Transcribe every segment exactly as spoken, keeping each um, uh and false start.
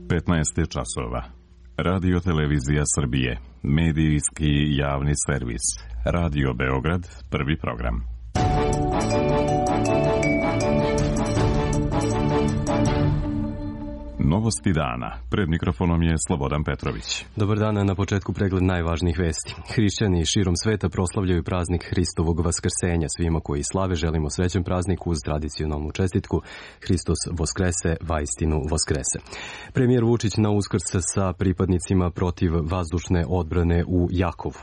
petnaest je časova. Radio Televizija Srbije, medijski javni servis. Radio Beograd, prvi program. Novosti dana. Pred mikrofonom je Slobodan Petrović. Dobar dan, na početku pregled najvažnijih vesti. Hrišćani širom sveta proslavljaju praznik Hristovog vaskrsenja. Svima koji slave želimo srećan praznik uz tradicionalnu čestitku Hristos Voskrese, vaistinu Voskrese. Premijer Vučić na Uskrs sa pripadnicima protiv vazdušne odbrane u Jakovu.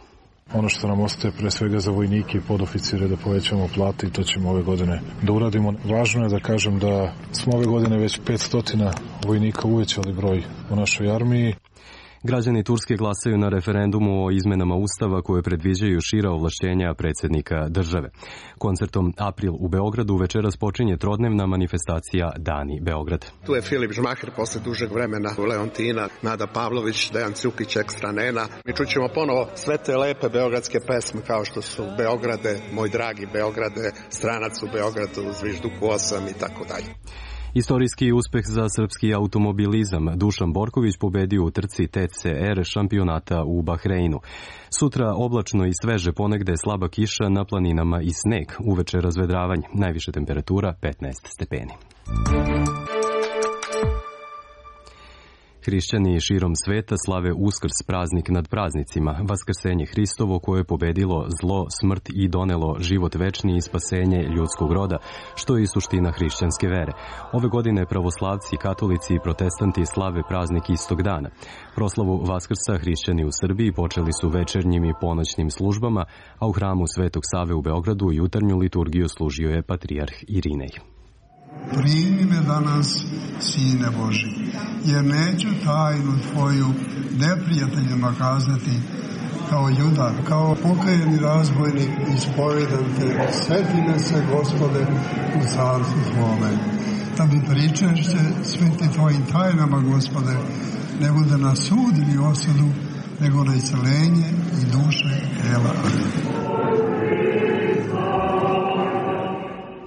Ono što nam ostaje pre svega za vojnike i podoficire da povećamo plate i to ćemo ove godine da uradimo. Važno je da kažem da smo ove godine već petsto vojnika uvećali broj u našoj armiji. Građani Turske glasaju na referendumu o izmenama Ustava koje predviđaju šira ovlašćenja predsjednika države. Koncertom April u Beogradu večeras počinje trodnevna manifestacija Dani Beograd. Tu je Filip Žmaher posle dužeg vremena, Leontina, Nada Pavlović, Dejan Cukić, Ekstra Nena. Mi čućemo ponovo sve te lepe beogradske pesme kao što su Beograde, moj dragi Beograde, Stranac u Beogradu, Zvižduku osam i tako dalje. Istorijski uspeh za srpski automobilizam. Dušan Borković pobedio u trci T C R šampionata u Bahreinu. Sutra oblačno i sveže, ponegde slaba kiša, na planinama i sneg. Uveče razvedravanje. Najviša temperatura petnaest stepeni. Hrišćani širom sveta slave Uskrs, praznik nad praznicima, Vaskrsenje Hristovo koje je pobedilo zlo, smrt i donelo život večni i spasenje ljudskog roda, što je i suština hrišćanske vere. Ove godine pravoslavci, katolici i protestanti slave praznik istog dana. Proslavu Vaskrsa hrišćani u Srbiji počeli su večernjim i ponoćnim službama, a u hramu Svetog Save u Beogradu jutarnju liturgiju služio je patrijarh Irinej. Primi me danas, Sine Boži, jer neću tajnu tvoju neprijateljima kazati kao Juda, kao pokajeni razbojnik ispovedam te, sveti me se, Gospode, u carstvu tvome. Da mi pričešće sveti tvojim tajnama, Gospode, ne bude na sud ili osudu, nego na iscelenje i duše tela.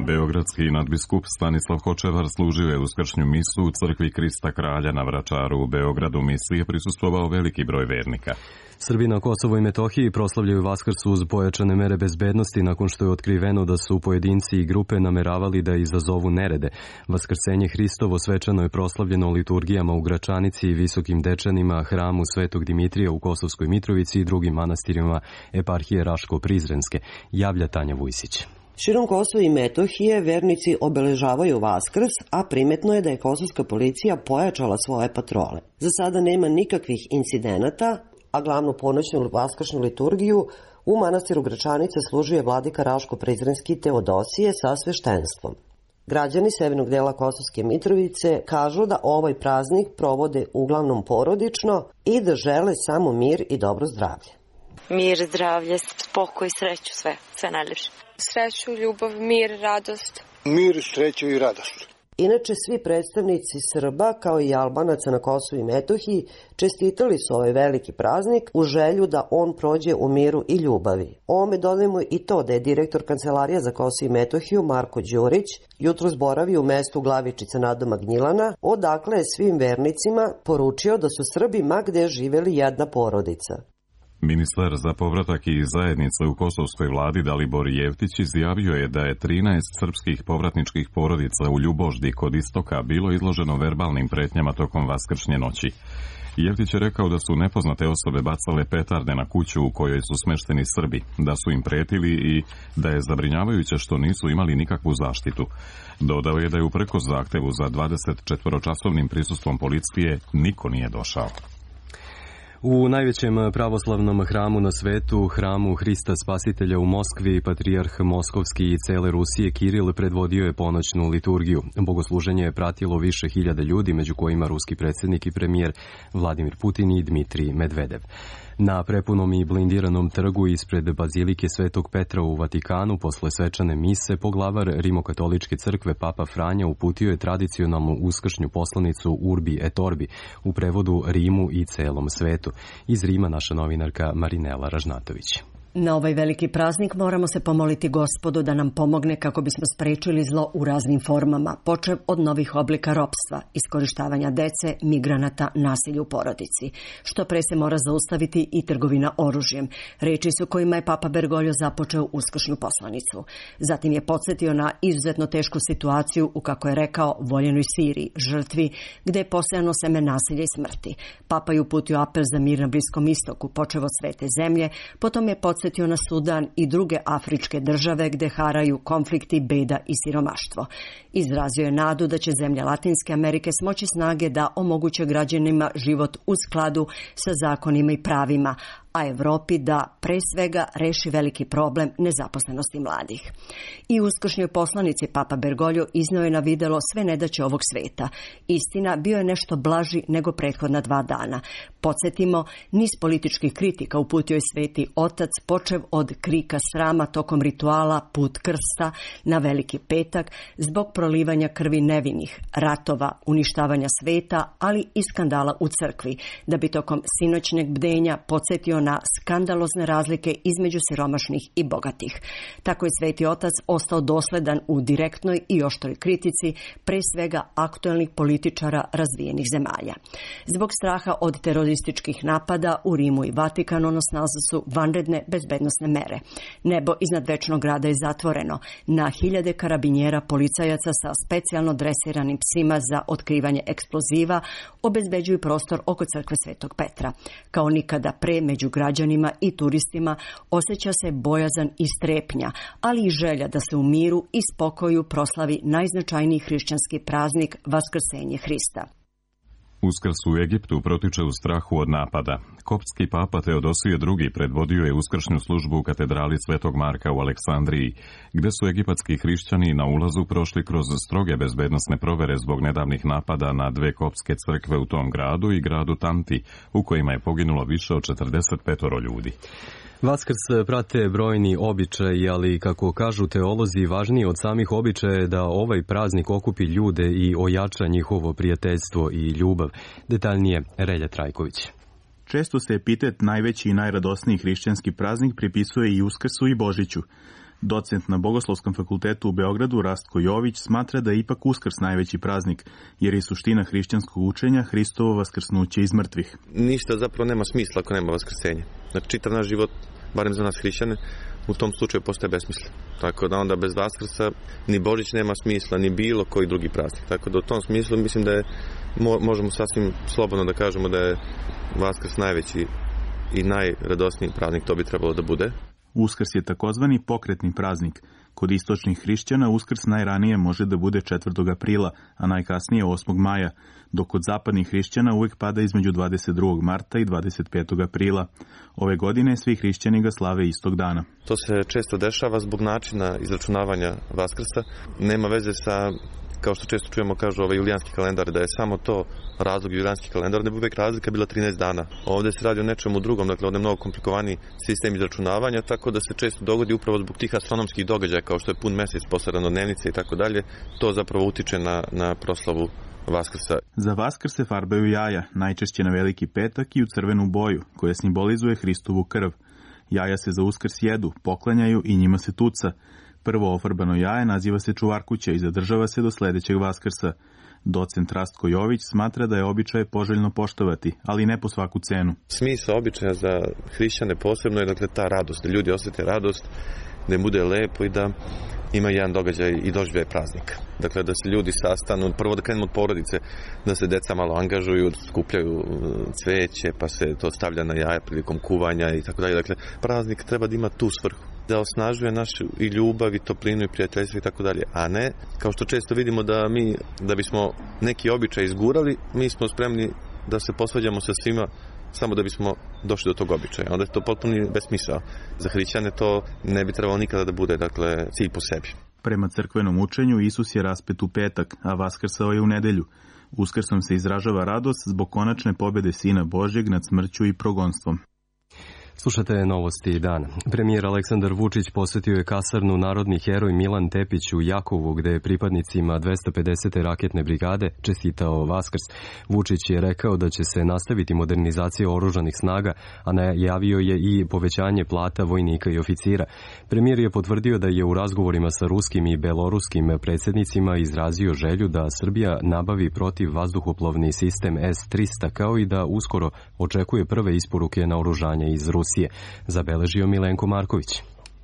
Beogradski nadbiskup Stanislav Hočevar služio je uskršnju misu u crkvi Krista Kralja na Vračaru u Beogradu. Misiji je prisustvovao veliki broj vernika. Srbi na Kosovo i Metohiji proslavljaju Vaskrs uz pojačane mere bezbednosti nakon što je otkriveno da su pojedinci i grupe nameravali da izazovu nerede. Vaskrsenje Hristovo svečano je proslavljeno liturgijama u Gračanici i Visokim Dečanima, hramu Svetog Dimitrija u Kosovskoj Mitrovici i drugim manastirima eparhije Raško-Prizrenske, javlja Tanja Vujsić. Širom Kosova i Metohije vernici obeležavaju Vaskrs, a primetno je da je kosovska policija pojačala svoje patrole. Za sada nema nikakvih incidenata, a glavnu ponoćnu vaskršnju liturgiju u manastiru Gračanice služuje vladika Raško-Prizrenski Teodosije sa sveštenstvom. Građani severnog dela Kosovske Mitrovice kažu da ovaj praznik provode uglavnom porodično i da žele samo mir i dobro zdravlje. Mir, zdravlje, spokoj, sreću, sve, sve najljepše. Sreću, ljubav, mir, radost. Mir, sreću i radost. Inače, svi predstavnici Srba, kao i Albanaca na Kosovu i Metohiji, čestitali su ovaj veliki praznik u želju da on prođe u miru i ljubavi. Ovome dodajemo i to da je direktor Kancelarija za Kosovo i Metohiju, Marko Đurić, jutros boravi u mestu Glavičica nadomak Gnjilana, odakle je svim vernicima poručio da su Srbi ma gde živeli jedna porodica. Ministar za povratak i zajednice u kosovskoj vladi Dalibor Jevtić izjavio je da je trinaest srpskih povratničkih porodica u Ljuboždi kod istoka bilo izloženo verbalnim pretnjama tokom vaskršnje noći. Jevtić je rekao da su nepoznate osobe bacale petarde na kuću u kojoj su smešteni Srbi, da su im pretili i da je zabrinjavajuće što nisu imali nikakvu zaštitu. Dodao je da je uprkos zahtevu za dvadesetčetvoročasovnim prisustvom policije niko nije došao. U najvećem pravoslavnom hramu na svetu, hramu Hrista Spasitelja u Moskvi, patrijarh Moskovski i cele Rusije Kiril predvodio je ponoćnu liturgiju. Bogosluženje je pratilo više hiljada ljudi, među kojima ruski predsjednik i premijer Vladimir Putin i Dmitrij Medvedev. Na prepunom i blindiranom trgu ispred Bazilike Svetog Petra u Vatikanu posle svečane mise poglavar Rimokatoličke crkve Papa Franja uputio je tradicionalnu uskršnju poslanicu Urbi et Orbi, u prevodu Rimu i celom svetu. Iz Rima naša novinarka Marinela Ražnatović. Na ovaj veliki praznik moramo se pomoliti Gospodu da nam pomogne kako bismo sprečili zlo u raznim formama, počev od novih oblika ropstva, iskorištavanja dece, migranata, nasilja u porodici. Što pre se mora zaustaviti i trgovina oružjem. Reči su kojima je Papa Bergoglio započeo uskršnju poslanicu. Zatim je podsjetio na izuzetno tešku situaciju u, kako je rekao, voljenoj Siriji, žrtvi, gde je posejano seme nasilja i smrti. Papa je uputio apel za mir na Bliskom istoku, počev od svete zemlje, potom je podsjetio na Sudan i druge afričke države gde haraju konflikti, beda i siromaštvo. Izrazio je nadu da će zemlje Latinske Amerike smoći snage da omoguće građanima život u skladu sa zakonima i pravima, a Evropi da pre svega reši veliki problem nezaposlenosti mladih. I u uskršnjoj poslanici Papa Bergoglio izneo je na videlo sve nedaće ovog sveta. Istina, bio je nešto blaži nego prethodna dva dana. Podsjetimo, niz političkih kritika uputio je Sveti Otac, počev od krika srama tokom rituala Put krsta na Veliki petak, zbog prolivanja krvi nevinih, ratova, uništavanja sveta, ali i skandala u crkvi, da bi tokom sinoćnjeg bdenja podsjetio na skandalozne razlike između siromašnih i bogatih. Tako je Sveti Otac ostao dosledan u direktnoj i oštroj kritici, pre svega aktuelnih političara razvijenih zemalja. Zbog straha od terorističkih napada u Rimu i Vatikanu na snazi su vanredne bezbednosne mere. Nebo iznad Večnog grada je zatvoreno. Na hiljade karabinjera policajaca sa specijalno dresiranim psima za otkrivanje eksploziva obezbeđuju prostor oko crkve Svetog Petra. Kao nikada pre među građanima i turistima osjeća se bojazan i strepnja, ali i želja da se u miru i spokoju proslavi najznačajniji hrišćanski praznik Vaskrsenje Hrista. Uskrs u Egiptu protiče u strahu od napada. Koptski papa Teodosije drugi predvodio je uskršnju službu u katedrali Svetog Marka u Aleksandriji, gde su egipatski hrišćani na ulazu prošli kroz stroge bezbednosne provere zbog nedavnih napada na dve koptske crkve u tom gradu i gradu Tanti, u kojima je poginulo više od četrdeset pet ljudi. Vaskrs prate brojni običaji, ali kako kažu teolozi, važnije od samih običaja je da ovaj praznik okupi ljude i ojača njihovo prijateljstvo i ljubav. Detaljnije Relja Trajković. Često se epitet najveći i najradosniji hrišćanski praznik pripisuje i Uskrsu i Božiću. Docent na Bogoslovskom fakultetu u Beogradu Rastko Jović smatra da je ipak Uskrs najveći praznik, jer je suština hrišćanskog učenja Hristovo vaskrsnuće iz mrtvih. Ništa zapravo nema smisla ako nema vaskrsenja. Znači, čitav naš život, barem za nas hrišćane, u tom slučaju postaje besmislen. Tako da onda bez Vaskrsa ni Božić nema smisla, ni bilo koji drugi praznik. Tako da u tom smislu mislim da je, možemo sasvim slobodno da kažemo da je Vaskrs najveći i najradosniji praznik, to bi trebalo da bude. Uskrs je takozvani pokretni praznik. Kod istočnih hrišćana Uskrs najranije može da bude četvrtog aprila, a najkasnije osmog maja, dok kod zapadnih hrišćana uvek pada između dvadeset drugog marta i dvadeset petog aprila. Ove godine svi hrišćani ga slave istog dana. To se često dešava zbog načina izračunavanja Vaskrsa. Nema veze sa, kao što često čujemo, kažu ovaj julijanski kalendar, da je samo to razlog julijanski kalendar, ne bi uvek razlika bila trinaest dana. Ovde se radi o nečemu drugom, dakle ovde je mnogo komplikovaniji sistem izračunavanja, tako da se često dogodi upravo zbog tih astronomskih događaja, kao što je pun mesec posle ranodnevnice i tako dalje, to zapravo utiče na, na proslavu Vaskrsa. Za Vaskrs se farbaju jaja, najčešće na Veliki petak i u crvenu boju, koja simbolizuje Hristovu krv. Jaja se za Uskrs jedu, poklanjaju i njima se tuca. Prvo ofarbano jaje naziva se čuvarkuća i zadržava se do sledećeg Vaskrsa. Docent Rastko Jović smatra da je običaje poželjno poštovati, ali ne po svaku cenu. Smisao običaja za hrišćane posebno je dakle ta radost, da ljudi osjete radost, da im bude lepo i da ima jedan događaj i doživljaj praznika. Dakle, da se ljudi sastanu, prvo da krenemo od porodice, da se deca malo angažuju, skupljaju cveće, pa se to stavlja na jaja prilikom kuvanja i tako dalje. Dakle, praznik treba da ima tu svrhu, da osnažuje našu i ljubav i toplinu i prijateljstvo i tako dalje, a ne, kao što često vidimo da mi, da bismo neki običaj izgurali, mi smo spremni da se posvađamo sa svima samo da bismo došli do tog običaja. Onda je to potpuno besmisao. Za hrišćane to ne bi trebalo nikada da bude, dakle, cilj po sebi. Prema crkvenom učenju Isus je raspet u petak, a vaskrsao je u nedelju. Uskrsom se izražava radost zbog konačne pobede Sina Božjeg nad smrću i progonstvom. Slušate novosti dana. Premijer Aleksandar Vučić posjetio je kasarnu Narodni heroj Milan Tepić u Jakovu, gde je pripadnicima dvesta pedesete raketne brigade čestitao Vaskrs. Vučić je rekao da će se nastaviti modernizacija oružanih snaga, a najavio je i povećanje plata vojnika i oficira. Premijer je potvrdio da je u razgovorima sa ruskim i beloruskim predsjednicima izrazio želju da Srbija nabavi protiv vazduhoplovni sistem S trista, kao i da uskoro očekuje prve isporuke naoružanja iz Rusije. Zabeležio Milenko Marković.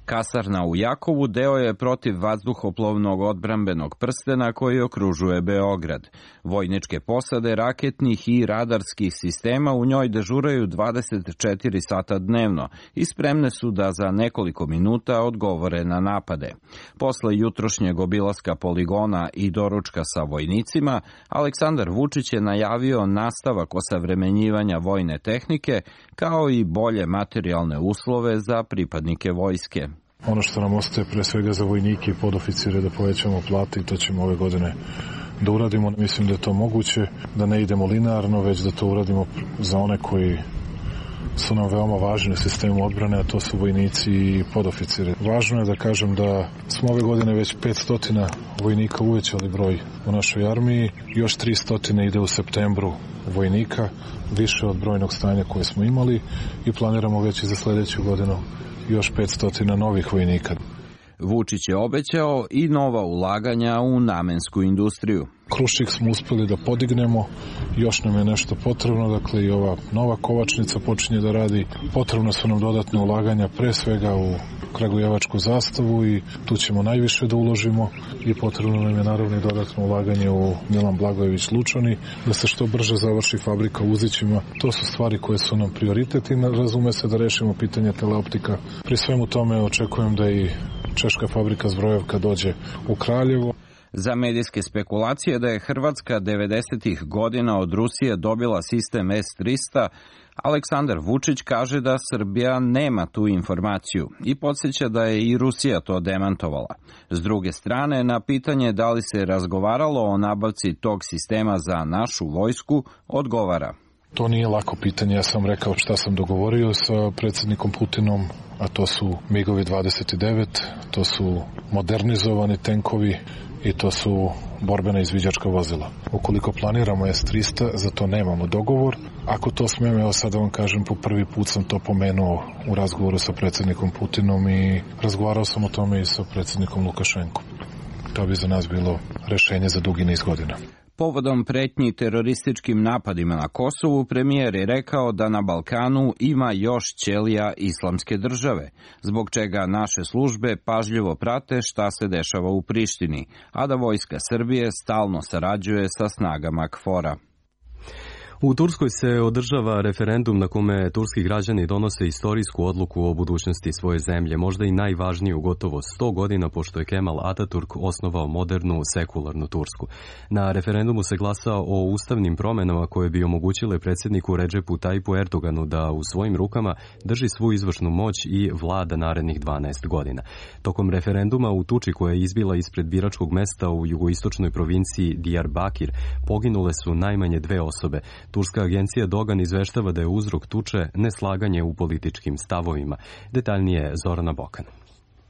Kasarna u Jakovu deo je protiv vazduhoplovnog odbrambenog prstena koji okružuje Beograd. Vojničke posade raketnih i radarskih sistema u njoj dežuraju dvadeset četiri sata dnevno i spremne su da za nekoliko minuta odgovore na napade. Posle jutrošnjeg obilaska poligona i doručka sa vojnicima, Aleksandar Vučić je najavio nastavak osavremenjivanja vojne tehnike kao i bolje materijalne uslove za pripadnike vojske. Ono što nam ostaje pre svega za vojnike i podoficire da povećamo plate i to ćemo ove godine da uradimo. Mislim da je to moguće, da ne idemo linearno, već da to uradimo za one koji su nam veoma važni u sistemu odbrane, a to su vojnici i podoficire. Važno je da kažem da smo ove godine već petsto vojnika uvećali broj u našoj armiji, još tristo ide u septembru vojnika, više od brojnog stanja koje smo imali i planiramo već i za sledeću godinu još petsto novih vojnika. Vučić je obećao i nova ulaganja u namensku industriju. Krušik smo uspeli da podignemo, još nam je nešto potrebno, dakle i ova nova kovačnica počinje da radi. Potrebno su nam dodatne ulaganja pre svega u kragujevačku zastavu i tu ćemo najviše da uložimo i potrebno nam je naravno i dodatno ulaganje u Milan Blagojević Lučani, da se što brže završi fabrika u Uzićima. To su stvari koje su nam prioritet i razume se da rešimo pitanje teleoptika. Pri svemu tome očekujem da i češka fabrika Zbrojevka dođe u Kraljevo. Za medijske spekulacije da je Hrvatska devedesetih godina od Rusije dobila sistem S trista, Aleksandar Vučić kaže da Srbija nema tu informaciju i podsjeća da je i Rusija to demantovala. S druge strane, na pitanje da li se razgovaralo o nabavci tog sistema za našu vojsku, odgovara. To nije lako pitanje, ja sam rekao šta sam dogovorio sa predsjednikom Putinom, a to su migovi dvadeset devet, to su modernizovani tenkovi i to su borbena izviđačka vozila. Ukoliko planiramo S trista, za to nemamo dogovor. Ako to smijem, evo sad da vam kažem, po prvi put sam to pomenuo u razgovoru sa predsjednikom Putinom i razgovarao sam o tome i sa predsjednikom Lukašenkom. To bi za nas bilo rešenje za dugi niz godina. Povodom pretnji terorističkim napadima na Kosovu, premijer je rekao da na Balkanu ima još ćelija islamske države, zbog čega naše službe pažljivo prate šta se dešava u Prištini, a da vojska Srbije stalno sarađuje sa snagama KFOR-a. U Turskoj se održava referendum na kome turski građani donose istorijsku odluku o budućnosti svoje zemlje, možda i najvažniju gotovo sto godina pošto je Kemal Ataturk osnovao modernu sekularnu Tursku. Na referendumu se glasa o ustavnim promenama koje bi omogućile predsjedniku Redžepu Tajipu Erdoganu da u svojim rukama drži svu izvršnu moć i vlada narednih dvanaest godina. Tokom referenduma u tuči koja je izbila ispred biračkog mesta u jugoistočnoj provinciji Diyarbakir poginule su najmanje dve osobe. Turska agencija Dogan izveštava da je uzrok tuče neslaganje u političkim stavovima. Detaljnije Zorana Bokan.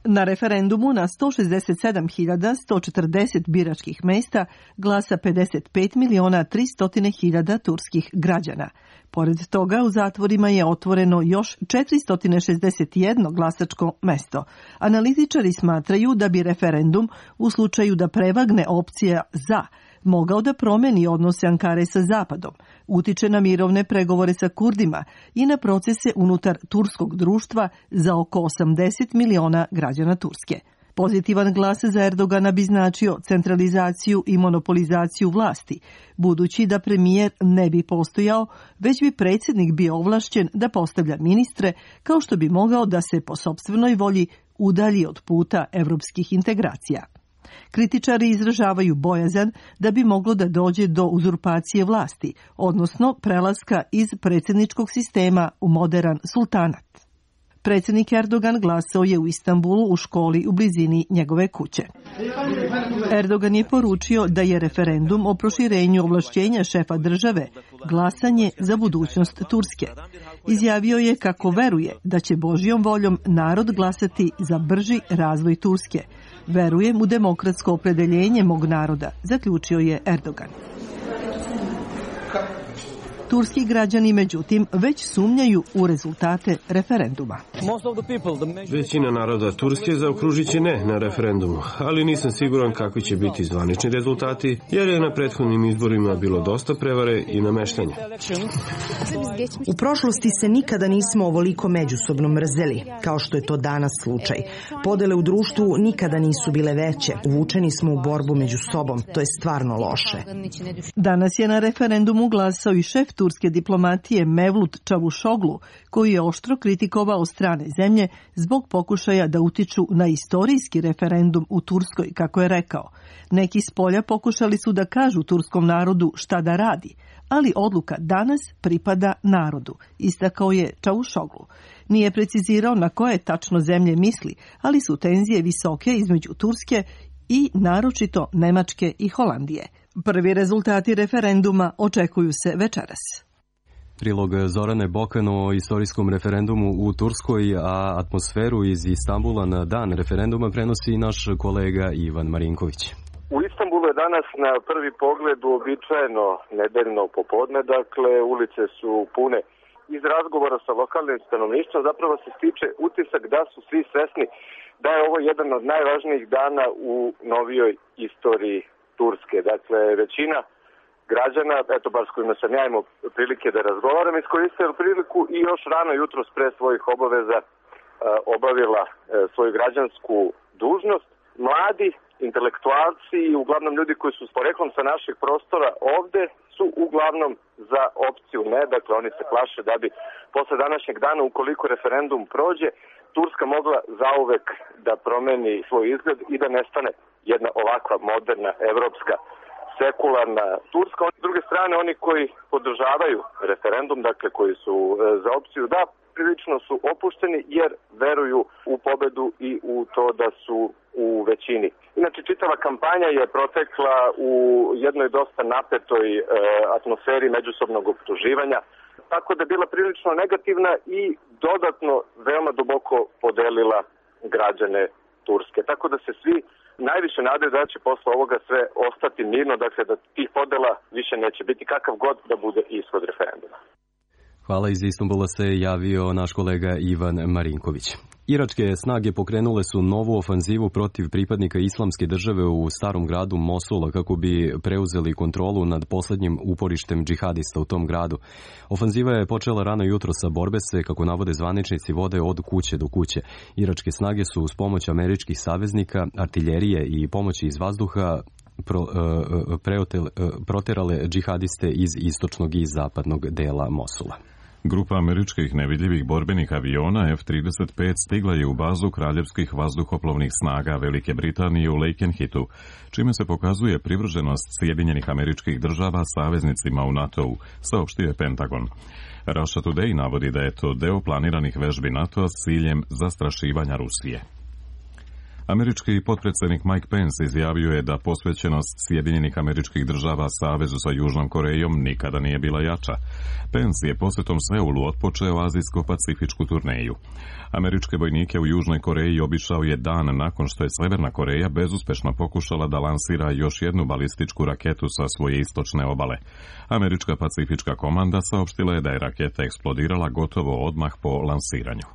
Na referendumu na sto šezdeset sedam hiljada sto četrdeset biračkih mesta glasa pedeset pet miliona tristo hiljada turskih građana. Pored toga, u zatvorima je otvoreno još četiristo šezdeset jedno glasačko mesto. Analitičari smatraju da bi referendum, u slučaju da prevagne opcija za, mogao da promeni odnose Ankare sa Zapadom, utiče na mirovne pregovore sa Kurdima i na procese unutar turskog društva za oko osamdeset miliona građana Turske. Pozitivan glas za Erdogana bi značio centralizaciju i monopolizaciju vlasti, budući da premijer ne bi postojao, već bi predsjednik bio ovlašćen da postavlja ministre, kao što bi mogao da se po sopstvenoj volji udalji od puta evropskih integracija. Kritičari izražavaju bojazan da bi moglo da dođe do uzurpacije vlasti, odnosno prelaska iz predsjedničkog sistema u modern sultanat. Predsjednik Erdogan glasao je u Istanbulu u školi u blizini njegove kuće. Erdogan je poručio da je referendum o proširenju ovlašćenja šefa države glasanje za budućnost Turske. Izjavio je kako veruje da će Božjom voljom narod glasati za brži razvoj Turske. Verujem u demokratsko opredeljenje mog naroda, zaključio je Erdogan. Turski građani, međutim, već sumnjaju u rezultate referenduma. Većina naroda Turske zaokružit će ne na referendumu, ali nisam siguran kakvi će biti zvanični rezultati, jer je na prethodnim izborima bilo dosta prevare i nameštanja. U prošlosti se nikada nismo ovoliko međusobno mrzeli, kao što je to danas slučaj. Podele u društvu nikada nisu bile veće. Uvučeni smo u borbu među sobom. To je stvarno loše. Danas je na referendumu glasao i šef turske diplomatije Mevlut Čavuşoglu, koji je oštro kritikovao strane zemlje zbog pokušaja da utiču na istorijski referendum u Turskoj, kako je rekao. Neki s polja pokušali su da kažu turskom narodu šta da radi, ali odluka danas pripada narodu, istakao je Čavuşoglu. Nije precizirao na koje tačno zemlje misli, ali su tenzije visoke između Turske i naročito Nemačke i Holandije. Prvi rezultati referenduma očekuju se večeras. Prilog Zorane Bokan o istorijskom referendumu u Turskoj, a atmosferu iz Istanbula na dan referenduma prenosi naš kolega Ivan Marinković. U Istanbulu je danas na prvi pogled uobičajeno nedeljno popodne, dakle ulice su pune. Iz razgovora sa lokalnim stanovništvom zapravo se stiče utisak da su svi svesni da je ovo jedan od najvažnijih dana u novijoj istoriji Turske. Dakle, većina građana, eto bar s kojima sam ja imao prilike da razgovaram, iskoristila priliku i još rano jutros pre svojih obaveza obavila svoju građansku dužnost. Mladi, intelektualci i uglavnom ljudi koji su s poreklom sa naših prostora ovde su uglavnom za opciju ne. Dakle, oni se plaše da bi posle današnjeg dana, ukoliko referendum prođe, Turska mogla zauvek da promeni svoj izgled i da nestane jedna ovakva moderna, evropska, sekularna Turska. S druge strane, oni koji podržavaju referendum, dakle koji su za opciju da, prilično su opušteni jer veruju u pobedu i u to da su u većini. Inače, čitava kampanja je protekla u jednoj dosta napetoj e, atmosferi međusobnog optuživanja, tako da je bila prilično negativna i dodatno veoma duboko podelila građane Turske. Tako da se svi najviše nadaju da će posle ovoga sve ostati mirno, dakle da tih podela više neće biti, kakav god da bude ishod referenduma. Hvala, iz Istanbula se javio naš kolega Ivan Marinković. Iračke snage pokrenule su novu ofanzivu protiv pripadnika islamske države u starom gradu Mosula kako bi preuzeli kontrolu nad posljednjim uporištem džihadista u tom gradu. Ofanziva je počela rano jutro sa borbe se, kako navode zvaničnici, vode od kuće do kuće. Iračke snage su uz pomoć američkih saveznika, artiljerije i pomoći iz vazduha pro, uh, preotel, uh, proterale džihadiste iz istočnog i zapadnog dela Mosula. Grupa američkih nevidljivih borbenih aviona F trideset pet stigla je u bazu kraljevskih vazduhoplovnih snaga Velike Britanije u Lakenhitu, čime se pokazuje privrženost Sjedinjenih Američkih Država saveznicima u NATO-u, saopštio je Pentagon. Russia Today navodi da je to deo planiranih vežbi NATO-a s ciljem zastrašivanja Rusije. Američki potpredsjednik Mike Pence izjavio je da posvećenost Sjedinjenih Američkih Država Savezu sa Južnom Korejom nikada nije bila jača. Pence je posjetom Seulu otpočeo azijsko-pacifičku turneju. Američke vojnike u Južnoj Koreji obišao je dan nakon što je Severna Koreja bezuspešno pokušala da lansira još jednu balističku raketu sa svoje istočne obale. Američka pacifička komanda saopštila je da je raketa eksplodirala gotovo odmah po lansiranju.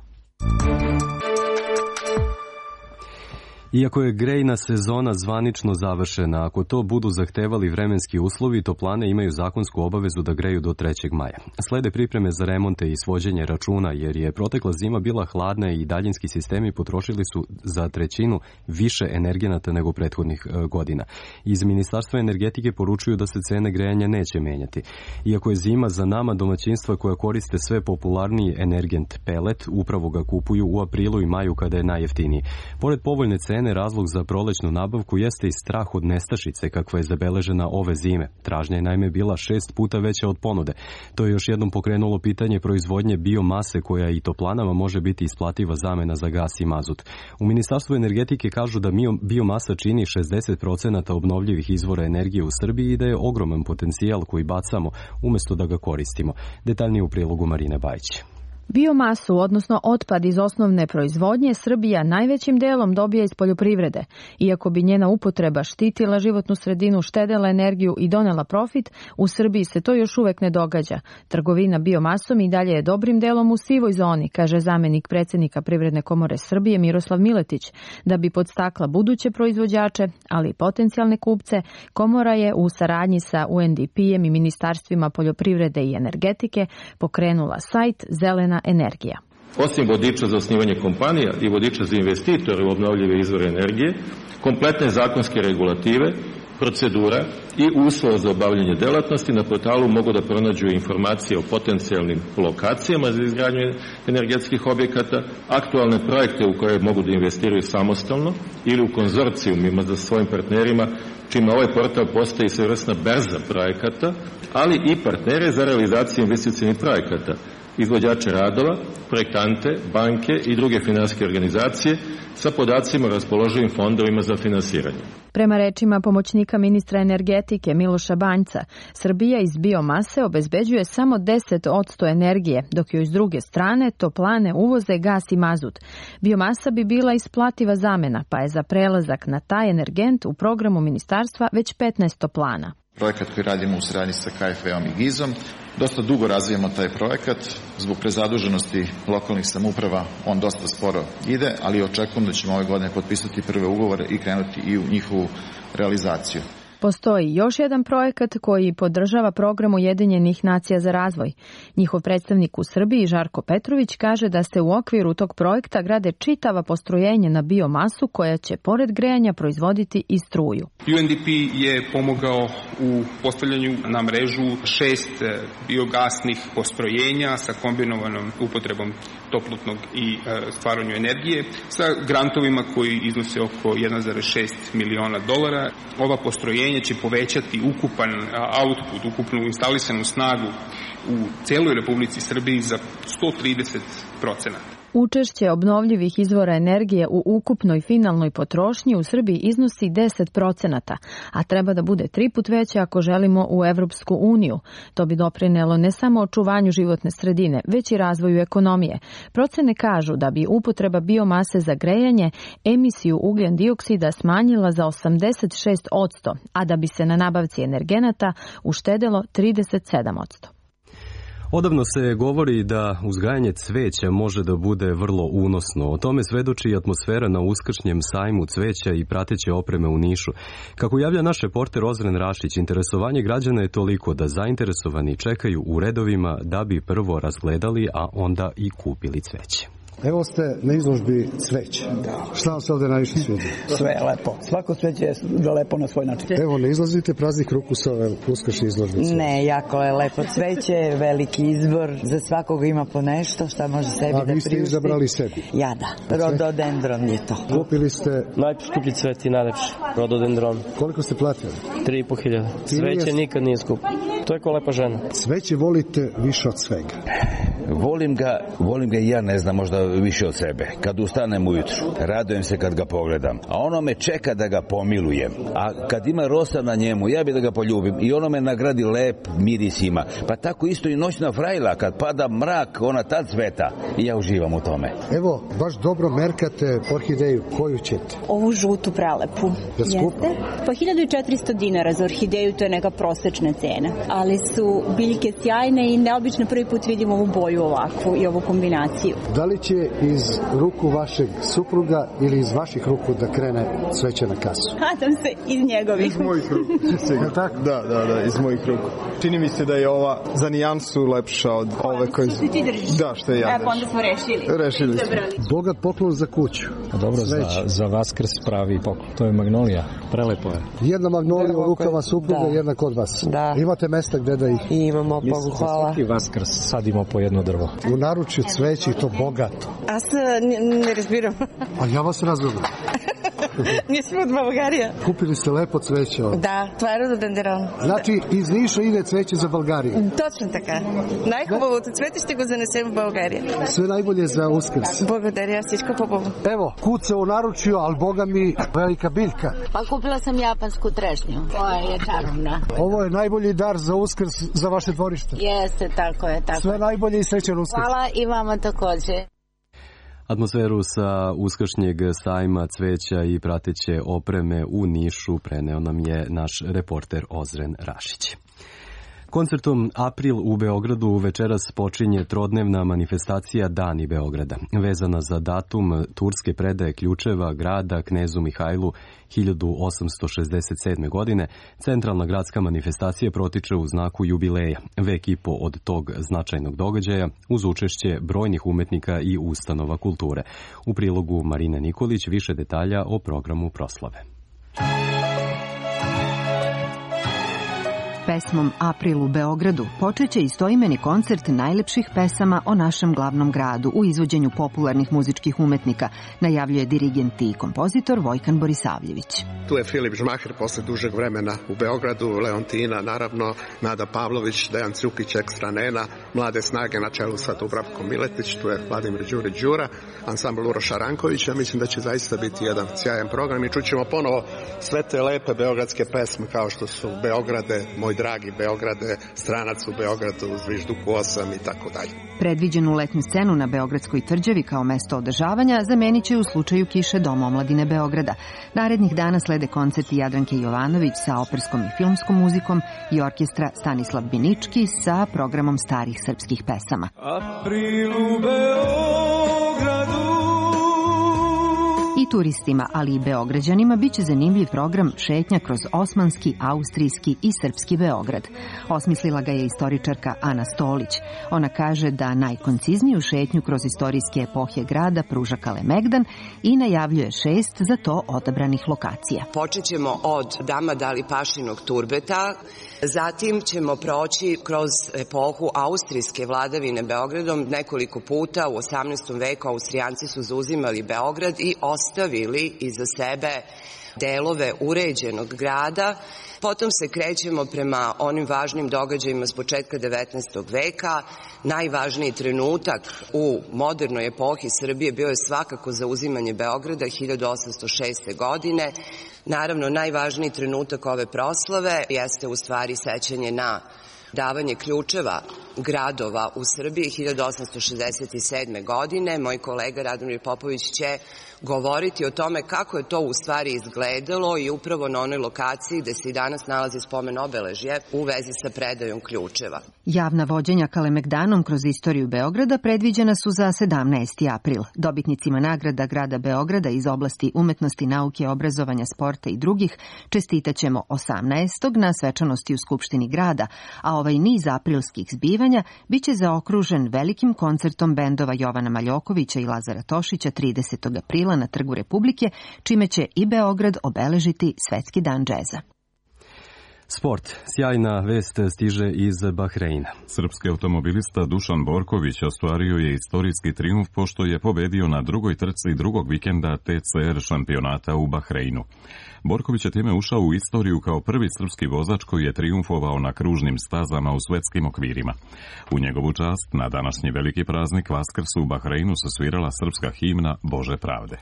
Iako je grejna sezona zvanično završena, ako to budu zahtevali vremenski uslovi, toplane imaju zakonsku obavezu da greju do trećeg maja. Slede pripreme za remonte i svođenje računa, jer je protekla zima bila hladna i daljinski sistemi potrošili su za trećinu više energenata nego prethodnih godina. Iz Ministarstva energetike poručuju da se cene grejanja neće menjati. Iako je zima za nama, domaćinstva koja koriste sve popularniji energent pelet upravo ga kupuju u aprilu i maju kada je najjeftiniji. Pored povoljne cene, cene razlog za prolećnu nabavku jeste i strah od nestašice kakva je zabeležena ove zime. Tražnja je naime bila šest puta veća od ponude. To je još jednom pokrenulo pitanje proizvodnje biomase koja i toplanama može biti isplativa zamena za gas i mazut. U Ministarstvu energetike kažu da biomasa čini šezdeset procenata obnovljivih izvora energije u Srbiji i da je ogroman potencijal koji bacamo umjesto da ga koristimo. Detaljnije u prilogu Marine Bajić. Biomasu, odnosno otpad iz osnovne proizvodnje, Srbija najvećim delom dobija iz poljoprivrede. Iako bi njena upotreba štitila životnu sredinu, štedela energiju i donela profit, u Srbiji se to još uvek ne događa. Trgovina biomasom i dalje je dobrim delom u sivoj zoni, kaže zamenik predsjednika Privredne komore Srbije Miroslav Miletić. Da bi podstakla buduće proizvođače, ali i potencijalne kupce, komora je u saradnji sa U N D P-em i ministarstvima poljoprivrede i energetike pokrenula sajt Zelena energija. Osim vodiča za osnivanje kompanija i vodiča za investitore u obnovljive izvore energije, kompletne zakonske regulative, procedura i uslova za obavljanje delatnosti na portalu mogu da pronađu informacije o potencijalnim lokacijama za izgradnju energetskih objekata, aktualne projekte u koje mogu da investiraju samostalno ili u konzorcijumima za svojim partnerima, čime ovaj portal postaje svojevrsna berza projekata, ali i partnere za realizaciju investicionih projekata, izvođače radova, projektante, banke i druge finansijske organizacije sa podacima o raspoloživim fondovima za finansiranje. Prema rečima pomoćnika ministra energetike Miloša Banjca, Srbija iz biomase obezbeđuje samo deset posto energije, dok joj s druge strane toplane uvoze gas i mazut. Biomasa bi bila isplativa zamena, pa je za prelazak na taj energent u programu ministarstva već petnaest toplana. Projekat koji radimo u saradnji sa K F E-om i Gizom. Dosta dugo razvijamo taj projekat. Zbog prezaduženosti lokalnih samouprava on dosta sporo ide, ali očekujem da ćemo ove godine potpisati prve ugovore i krenuti i u njihovu realizaciju. Postoji još jedan projekat koji podržava program Ujedinjenih nacija za razvoj. Njihov predstavnik u Srbiji, Žarko Petrović, kaže da se u okviru tog projekta grade čitava postrojenja na biomasu koja će pored grejanja proizvoditi i struju. U N D P je pomogao u postavljanju na mrežu šest biogasnih postrojenja sa kombinovanom upotrebom toplotnog i stvaranju energije sa grantovima koji iznose oko jedan zarez šest miliona dolara. Ova postrojenja će povećati ukupan output, ukupnu instalisanu snagu u celoj Republici Srbiji za sto trideset procenata. Učešće obnovljivih izvora energije u ukupnoj finalnoj potrošnji u Srbiji iznosi deset procenata, a treba da bude tri put veće ako želimo u Evropsku uniju. To bi doprinelo ne samo očuvanju životne sredine, već i razvoju ekonomije. Procene kažu da bi upotreba biomase za grejanje emisiju ugljen dioksida smanjila za osamdeset šest posto, a da bi se na nabavci energenata uštedelo trideset sedam posto. Odavno se govori da uzgajanje cveća može da bude vrlo unosno. O tome svedoči i atmosfera na uskršnjem sajmu cveća i prateće opreme u Nišu. Kako javlja naš reporter Ozren Rašić, interesovanje građana je toliko da zainteresovani čekaju u redovima da bi prvo razgledali, a onda i kupili cveće. Evo ste na izložbi cveća. Da. Šta vam se ovdje najviše svidi? Sve je lepo. Svako cveće je lepo na svoj način. Evo, ne izlazite praznih ruku sa ove uskršnje izložbice. Ne, jako je lepo cveće, veliki izbor. Za svakoga ima po nešto šta može sebi da priušti. A vi ste izabrali sebi? Ja da. Rododendron je to. Kupili ste? Najskuplji cvet i najlepši. Rododendron. Koliko ste platili? Tri i po hiljada. Cveće nikad nije skupo. To je ko lepa žena. Cveće volite više od svega? Volim ga, volim ga i ja, ne znam, možda više od sebe. Kad ustanem ujutru, radujem se kad ga pogledam. A ono me čeka da ga pomilujem. A kad ima rosa na njemu, ja bi da ga poljubim. I ono me nagradi lep miris ima. Pa tako isto i noćna frajla, kad pada mrak, ona tad cveta. I ja uživam u tome. Evo, baš dobro merkate orhideju. Koju ćete? Ovu žutu prelepu. Da skupa? Po hiljadu četiristo dinara za orhideju, to je neka prosečna cena. Ali su biljke sjajne i neobično prvi put vidimo ovu boju ovakvu i ovu kombinaciju. Da li će iz ruku vašeg supruga ili iz vaših ruku da krene cveće na kasu? Nadam se iz njegovih. Iz mojih ruku. Da, da, da, iz mojih ruku. Čini mi se da je ova za nijansu lepša od ove koje... Što ti držiš? Da, što je ja držim. E, pa onda smo rešili. Rešili smo. Bogat poklon za kuću. A dobro, za, za Vaskrs pravi poklon. To je magnolija. Prelepo je. Jedna magnolija u rukama supruga, jedna kod vas. Da. Imate mesta gde da ih... Imamo, Bogu hvala. Svaki Vaskrs sadimo po jedno drvo. U naručju cveće i to bogato. A se ne, ne razbiram. A ja vas razumem. Mi smo od Bulgarije. Kupili ste lepo cveće ovdje? Da, това е рододендерон. Znači, iz Niša ide cveće za Bulgariju? Точно така. Най-хубавото цвете ще го занесем в България. Sve najbolje za Uskrs. Благодаря, всичко хубаво. Evo, kuce u naručju, ali boga mi velika biljka. Pa kupila sam japansku trešnju, koja je čarobna. Ovo je najbolji dar za Uskrs za vaše dvorište. Jeste, tako je, tako. Sve najbolje i srećan Uskrs. Hvala i vama također. Atmosferu sa uskršnjeg sajma cveća i prateće opreme u Nišu preneo nam je naš reporter Ozren Rašić. Koncertom April u Beogradu večeras počinje trodnevna manifestacija Dani Beograda, vezana za datum turske predaje ključeva grada knezu Mihajlu hiljadu osamsto šezdeset sedme. godine. Centralna gradska manifestacija protiče u znaku jubileja, vek i po od tog značajnog događaja, uz učešće brojnih umetnika i ustanova kulture. U prilogu Marine Nikolić više detalja o programu proslave. Pesmom April u Beogradu počeće istoimeni koncert najlepših pesama o našem glavnom gradu u izvođenju popularnih muzičkih umetnika, najavljuje dirigent i kompozitor Vojkan Borisavljević. Tu je Filip Žmaher posle dužeg vremena u Beogradu, Leontina, naravno, Nada Pavlović, Dejan Cukić, Ekstra Nena, Mlade snage na čelu sa Dubravkom Miletić, tu je Vladimir Đurić Đura, ansambl Uroša Rankovića. Mislim da će zaista biti jedan sjajan program i čućemo ponovo sve te lepe beogradske pesme kao što su Beograde, Moj dragi Beograde, Stranac u Beogradu, Zvižduku osam i tako dalje. Predviđenu letnju scenu na Beogradskoj tvrđavi kao mesto održavanja zamenit će u slučaju kiše Dom omladine Beograda. Narednih dana slede koncerti Jadranke Jovanović sa operskom i filmskom muzikom i orkestra Stanislav Binički sa programom starih srpskih pesama. April u Beogradu. I turistima, ali i beograđanima biće zanimljiv program šetnja kroz osmanski, austrijski i srpski Beograd. Osmislila ga je istoričarka Ana Stolić. Ona kaže da najkoncizniju šetnju kroz istorijske epohe grada pruža Kalemegdan i najavljuje šest za to odabranih lokacija. Počet ćemo od Dama Dali Pašinog turbeta, zatim ćemo proći kroz epohu austrijske vladavine Beogradom. Nekoliko puta u osamnaestom veku Austrijanci su zauzimali Beograd i ostavili iza sebe delove uređenog grada. Potom se krećemo prema onim važnim događajima s početka devetnaestog veka. Najvažniji trenutak u modernoj epohi Srbije bio je svakako zauzimanje Beograda hiljadu osamsto šeste. godine. Naravno, najvažniji trenutak ove proslave jeste u stvari sećanje na davanje ključeva gradova u Srbiji hiljadu osamsto šezdeset sedme. godine. Moj kolega Radomir Popović će govoriti o tome kako je to u stvari izgledalo i upravo na onoj lokaciji gde se i danas nalazi spomen obeležje u vezi sa predajom ključeva. Javna vođenja Kalemegdanom kroz istoriju Beograda predviđena su za sedamnaesti april. Dobitnicima nagrada grada Beograda iz oblasti umetnosti, nauke, obrazovanja, sporta i drugih čestitaćemo osamnaestog na svečanosti u Skupštini grada, a ovaj niz aprilskih zbivanja biće zaokružen velikim koncertom bendova Jovana Maljokovića i Lazara Tošića tridesetog aprila na Trgu Republike, čime će i Beograd obeležiti Svetski dan džeza. Sport. Sjajna vest stiže iz Bahreina. Srpski automobilista Dušan Borković ostvario je istorijski trijumf pošto je pobedio na drugoj trci drugog vikenda T C R šampionata u Bahreinu. Borković je time ušao u istoriju kao prvi srpski vozač koji je trijumfovao na kružnim stazama u svetskim okvirima. U njegovu čast na današnji veliki praznik Vaskrs u Bahreinu se svirala srpska himna Bože pravde.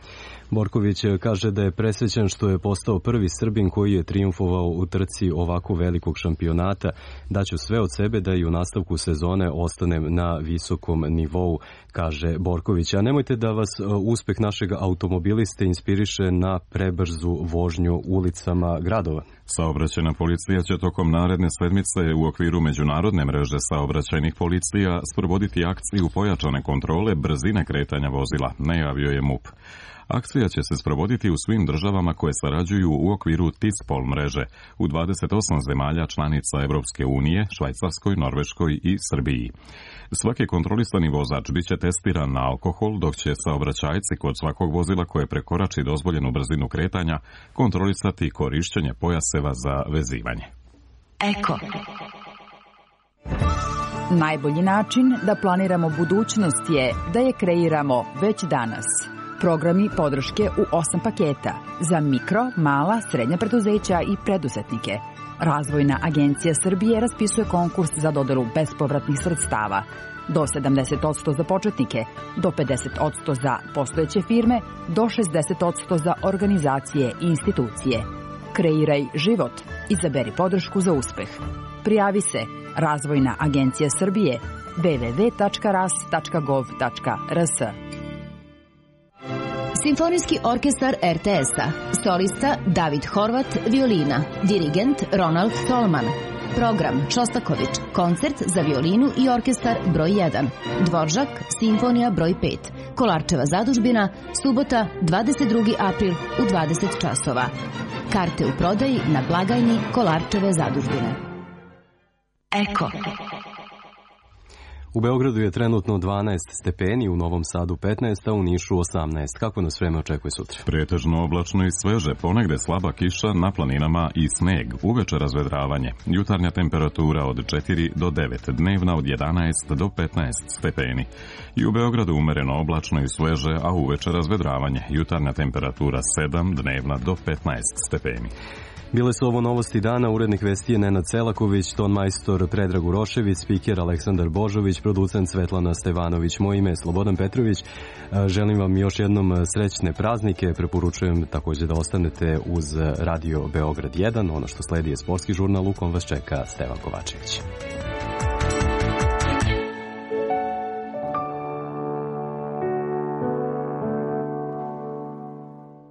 Borković kaže da je presrećan što je postao prvi Srbin koji je trijumfovao u trci ovako velikog šampionata. Daću sve od sebe da i u nastavku sezone ostanem na visokom nivou, kaže Borković. A nemojte da vas uspeh našeg automobiliste inspiriše na prebrzu vožnju ulicama gradova. Saobraćajna policija će tokom naredne sedmice u okviru međunarodne mreže saobraćajnih policija sprovoditi akciju pojačane kontrole brzine kretanja vozila, najavio je M U P. Akcija će se sprovoditi u svim državama koje sarađuju u okviru TISPOL mreže u dvadeset osam zemalja članica Evropske unije, Švajcarskoj, Norveškoj i Srbiji. Svaki kontrolisani vozač biće testiran na alkohol, dok će saobraćajci kod svakog vozila koje prekorači dozvoljenu brzinu kretanja kontrolisati korišćenje pojaseva za vezivanje. Eko. Najbolji način da planiramo budućnost je da je kreiramo već danas. Programi podrške u osam paketa za mikro, mala, srednja preduzeća i preduzetnike. Razvojna agencija Srbije raspisuje konkurs za dodelu bespovratnih sredstava. Do sedamdeset posto za početnike, do pedeset posto za postojeće firme, do šezdeset posto za organizacije i institucije. Kreiraj život. Izaberi podršku za uspeh. Prijavi se Razvojna agencija Srbije w w w tačka ras tačka gov tačka r s. Simfonijski orkestar er te es-a. Solista David Horvat, violina. Dirigent Ronald Tolman. Program Šostaković, koncert za violinu i orkestar broj jedan. Dvoržak, simfonija broj pet. Kolarčeva zadužbina, subota, dvadeset drugi april u dvadeset časova. Karte u prodaji na blagajni Kolarčeve zadužbine. Eko. U Beogradu je trenutno dvanaest stepeni, u Novom Sadu petnaest, a u Nišu osamnaest. Kako nas vreme očekuje sutra? Pretežno oblačno i sveže, ponegde slaba kiša na planinama i sneg. Uveče razvedravanje. Jutarnja temperatura od četiri do devet, dnevna od jedanaest do petnaest stepeni. I u Beogradu umereno oblačno i sveže, a uveče razvedravanje. Jutarnja temperatura sedam, dnevna do petnaest stepeni. Bile su ovo novosti dana, urednik vesti je Nenad Selaković, ton majstor Predrag Urošević, spiker Aleksandar Božović, producent Svetlana Stevanović, moje ime je Slobodan Petrović. Želim vam još jednom srećne praznike, preporučujem također da ostanete uz Radio Beograd jedan, ono što sledi je sportski žurnal, u kom vas čeka Stevan Kovačević.